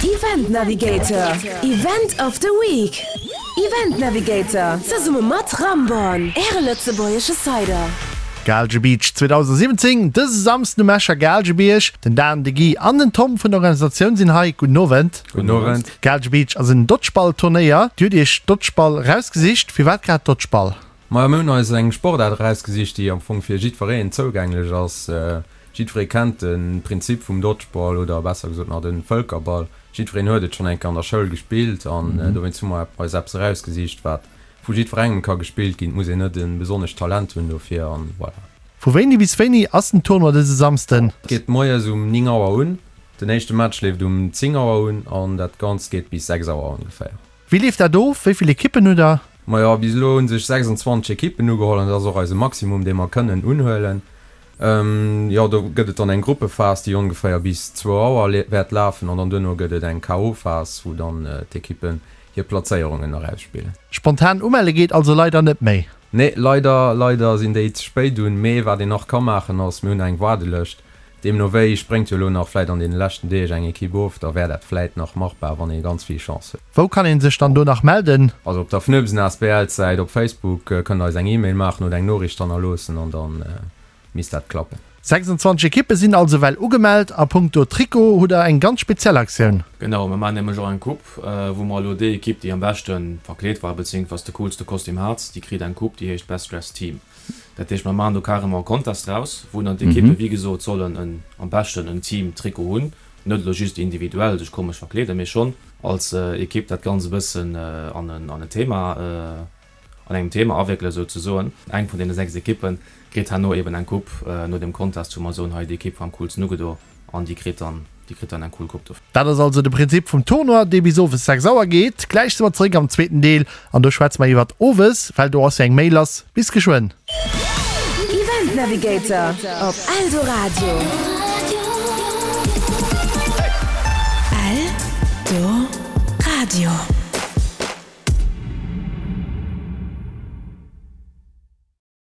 Event Navigator, Event of the Week! Event Navigator, zesumme mat Ramborn, Äre lëtzebuergesche Cider. Gaalge Beach 2017, dëse Samsden um Escher Gaalgebierg. Den Dan, de Guy an den Tom vun der Organisatioun sinn hei. Gudden Owend. Gudden Owend. Gaalge Beach ass en Dodgeball-Turnéier. Dir hutt iech Dodgeball erausgesicht. Firwat grad Dodgeball? Majo, mir hunn eis eng Sportaart erausgesicht, déi am Fong fir jiddwereen zougänglech ass. Jiddweree kennt de Prinzip vum Dodgeball oder besser gesot nach de Vëlkerball. Jiddwereen huet et schonn eng Kéier an der Schoul gespillt an dowéinst hu mer eis eppes erausgesicht, wat vu jiddwerengem ka gespillt ginn. Et muss een net e besonnescht Talent hunn dofir an voilà. Vu wéini bis wéini ass den Tournoi dëse Samsden? Et geet moies um 9 Auer un, den éischte Match leeft um 10 Auer un an dat Ganzt geet bis 6 Auer ongeféier. Wéi leeft dat of? Wéi vill Ekippen hutt der? Majo, bis elo hu sech 26 Ekippen ugeholl an dat ass och eise Maximum, dee mer kënnen unhuelen. Jo, do gëtt et dann eng Gruppephas, déi ongeféier bis zwou Auer wäert lafen an dann duerno gëtt et eng KO-Phas, wou dann d'Ekippen hir Plazéierungen erausspillen. Spontan umelle geet also leider net méi. Nee, leider, leider sinn déi ze spéit un. Mee wat een nach ka maachen ass, mir hunn eng Waardelëscht. Deemno wéi spréngt jo elo nach vläit an deene leschten Deeg eng Ekipp of, da wär dat vläit nach machbar, wann ee ganz vill Chance huet. Wou kann een sech dann do nach melden? Also op der Fnöbsen asbl Säit op Facebook kënnt der eis eng Email maachen oder eng Noriicht hannerloossen an dann misst dat klappen. 26 Ekippe sinn also well ugemellt. A punkto Trikot hutt der eng ganz speziell Aktioun. Genau, mir maachen nämlech och eng Coupe, wou mer elo déi Ekipp déi am beschte verkleet war, beziéungsweis de coolste Kostüm hat, déi kritt eng Coupe, déi heescht Best Dressed Team. Dat heescht, mer maachen do carrément e Contest draus, wou dann d'Ekippe wéi gesot sollen en, am beschten en Team-Trikot hunn, net elo just individuell sech komesch verkleeden, mee schonn als Ekipp dat Ganzt e bëssen an en, an en Thema, an engem Thema awéckelen souzesoen. Eng vun deene 6 Ekippe kritt herno eben eng Coupe no deem Contest, wou mer soen, hei déi Ekipp war am coolsten ugedo. An déi kritt dann, déi kritt dann eng cool Coupe dofir. Dat ass also de Prinzip vum Tournoi, dee bis owes 6 Auer geet. Gläich si mer zeréck am zweeten Deel an do schwätze mer iwwert owes, well do ass jo eng méi lass. Bis geschwënn. Event Navigator op Eldoradio. Eldoradio.